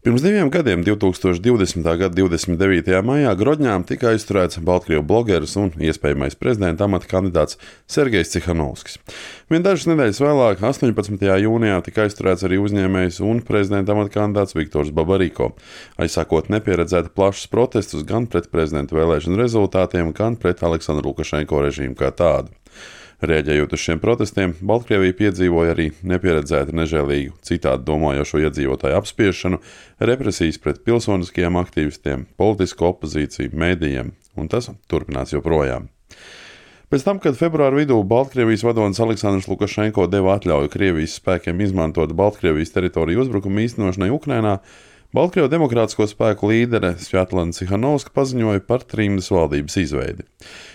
Pirms 2 gadiem, 2020. gada 29. maijā, Grodņām tika aizturēts Baltkrievu blogeris un iespējamais prezidenta amata kandidāts Sergejs Cihanovskis. Vien dažas nedēļas vēlāk, 18. jūnijā, tika aizturēts arī uzņēmējs un prezidenta amata kandidāts Viktors Babariko, aizsākot nepieredzēti plašus protestus gan pret prezidenta vēlēšanu rezultātiem, gan pret Aleksandra Lukašenko režīmu kā tādu. Rēģējot uz šiem protestiem, Baltkrievija piedzīvoja arī nepieredzētu nežēlīgu citādi domājošo iedzīvotāju apspiešanu, represijas pret pilsoniskajiem aktīvistiem, politisko opozīciju, mēdījiem, un tas turpinās joprojām. Pēc tam, kad februāra vidū Baltkrievijas vadonis Aleksandrs Lukašenko deva atļauju Krievijas spēkiem izmantot Baltkrievijas teritoriju uzbrukumu īstenošanai Ukrainā, Baltkrievu demokrātisko spēku līdere Svjatlana Cihanovska paziņoja par trimdas valdības izveidi.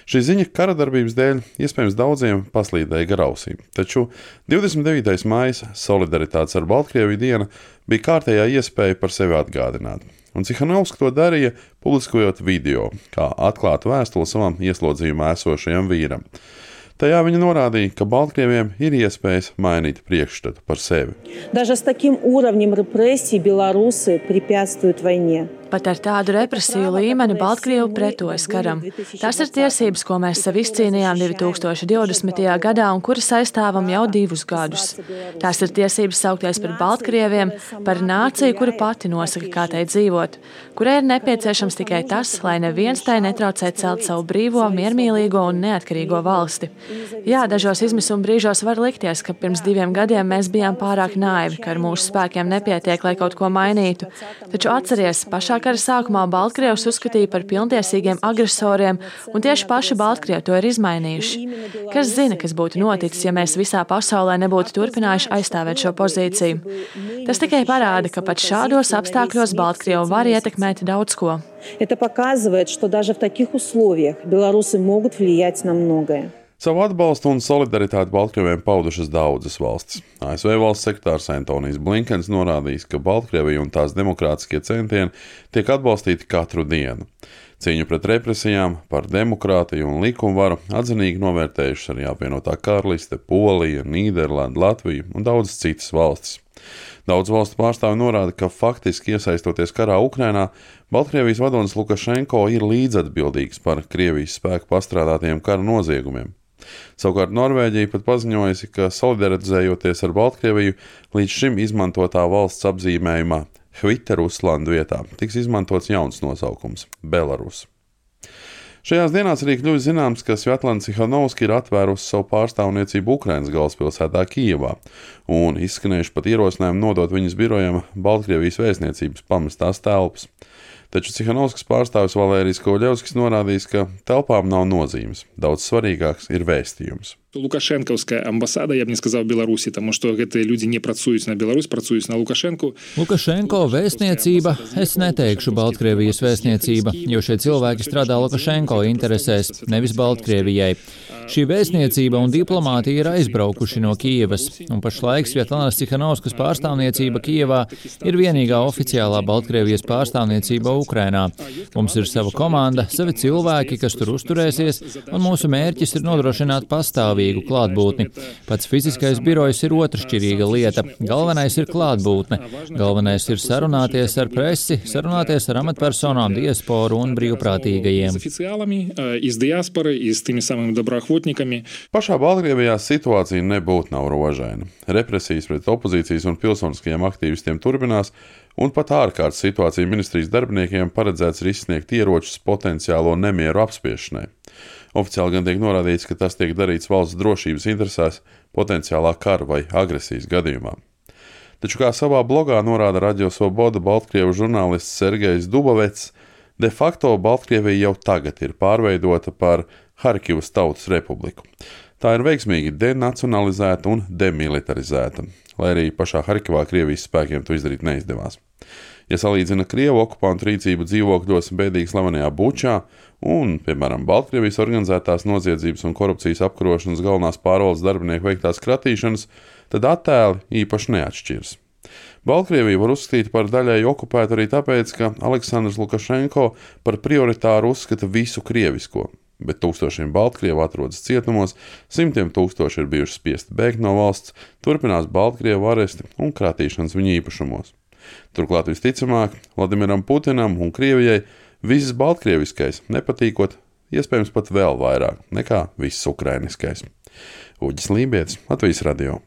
Šī ziņa kara darbības dēļ iespējams daudziem paslīdēja gar ausīm, taču 29. maijs, solidaritātes ar Baltkrieviju diena, bija kārtējā iespēja par sevi atgādināt. Un Cihanovska to darīja, publiskojot video, kā atklātu vēstuli savam ieslodzījumā esošajam vīram. Tajā viņa norādīja, ka Baltkrieviem ir iespējas mainīt priekšstatu par sevi. Даже с таким уровнем репрессий белорусы препятствуют войне. Pat ar tādu represiju līmeni Baltkrievi pretojas karam. Tas ir tiesības, ko mēs sev izcīnījām 2020. gadā un kuras aizstāvam jau 2 gadus. Tās ir tiesības saukties par Baltkrieviem, par nāciju, kura pati nosaka, kā tai dzīvot, kurai ir nepieciešams tikai tas, lai neviens tai netraucē celt savu brīvo, miermīlīgo un neatkarīgo valsti. Jā, dažos izmisuma brīžos var likties, ka pirms 2 gadiem mēs bijām pārāk naivi, ka ar mūsu spēkiem nepietiek, lai kaut ko mainītu. Taču atceries, pašā kara sākumā Baltkrievus uzskatīja par pilntiesīgiem agresoriem, un tieši paši Baltkrievi to ir izmainījuši. Kas zina, kas būtu noticis, ja mēs visā pasaulē nebūtu turpinājuši aizstāvēt šo pozīciju? Tas tikai parāda, ka pat šādos apstākļos Baltkrievi var ietekmēt daudz ko. Это показывает, что даже в таких условиях белорусы могут влиять на многое. Savu atbalstu un solidaritāti Baltkrieviem paudušas daudzas valstis. ASV valsts sekretārs Antonijs Blinkens norādījis, ka Baltkrievija un tās demokrātiskie centieni tiek atbalstīti katru dienu. Cīņu pret represijām, par demokrātiju un likumvaru atzinīgi novērtējušas arī apvienotā karaliste, Polija, Nīderlanda, Latvija un daudzas citas valstis. Daudz valstu pārstāvi norāda, ka faktiski iesaistoties karā Ukrainā, Baltkrievijas vadonis Lukašenko ir līdzatbildīgs par Krievijas spēku pastrādātiem kara noziegumiem. Savukārt Norvēģija pat paziņojusi, ka solidarizējoties ar Baltkrieviju, līdz šim izmantotā valsts apzīmējumā Hviteruslandu vietā tiks izmantots jauns nosaukums – Belarus. Šajās dienās arī kļuvis zināms, ka Svjatlana Cihanovska ir atvērusi savu pārstāvniecību Ukrainas galvaspilsētā Kijevā un izskanējuši pat ierosinājumi nodot viņas birojam Baltkrievijas vēstniecības pamestās telpas. Taču Cihanovskas pārstāvis Valērijas Kovļevskis norādījis, ka telpām nav nozīmes. Daudz svarīgāks ir vēstījums. Лукашенковская амбассада, я бы не сказал, Беларуси, потому что эти люди не працуют на Беларусь, працуют на Лукашенку. Lukašenko vēstniecība, es neteikšu Baltkrievijas vēstniecība, jo šie cilvēki strādā Lukašenko interesēs, nevis Baltkrievijai. Šī vēstniecība un diplomātija ir aizbraukuši no Kijevas, un pašlaik Svjatlanas Cihanovskas pārstāvniecība Kijevā ir vienīgā oficiālā Baltkrievijas pārstāvniecība Ukrainā. Mums ir sava komanda, savi cilvēki, kas tur uzturēsies, un mūsu mērķis ir nodrošināt pastāvīgu klātbūtni. Pats fiziskais birojs ir otršķirīga lieta. Galvenais ir klātbūtne. Galvenais ir sarunāties ar presi, sarunāties ar amatpersonām, diasporu un brīvprātīgajiem. Pašā Baltkrievijā situācija nebūtu nav rožaina. Represijas pret opozīcijas un pilsoniskajiem aktīvistiem turpinās, un pat ārkārtas situācija ministrijas darbiniekiem paredzēts izsniegt ieročus potenciālo nemieru apspiešanai. Oficiāli gan tiek norādīts, ka tas tiek darīts valsts drošības interesēs potenciālā kara vai agresijas gadījumā. Taču, kā savā blogā norāda Radio Svoboda Baltkrievu žurnālists Sergejs Dubovets, de facto Baltkrievija jau tagad ir pārveidota par Harkivas Tautas Republiku. Tā ir veiksmīgi denacionalizēta un demilitarizēta, lai arī pašā Harkivā Krievijas spēkiem to izdarīt neizdevās. Ja salīdzina Krievu okupantu rīcību dzīvokļos bēdīgi slavenajā Bučā un, piemēram, Baltkrievijas organizētās noziedzības un korupcijas apkarošanas galvenās pārvaldes darbinieku veiktās kratīšanas, tad attēli īpaši neatšķiras. Baltkrieviju var uzskatīt par daļēji okupētu arī tāpēc, ka Aleksandrs Lukašenko par prioritāru uzskata visu krievisko, bet tūkstošiem Baltkrievu atrodas cietumos, simtiem tūkstoši ir bijuši spiesti bēgt no valsts, turpinās Baltkrievu aresti un kratīšanas viņu īpašumos. Turklāt visticamāk Vladimiram Putinam un Krievijai viss baltkrieviskais nepatīkot, iespējams pat vēl vairāk nekā viss ukrainiskais. Uģis Lībietis, Latvijas radio.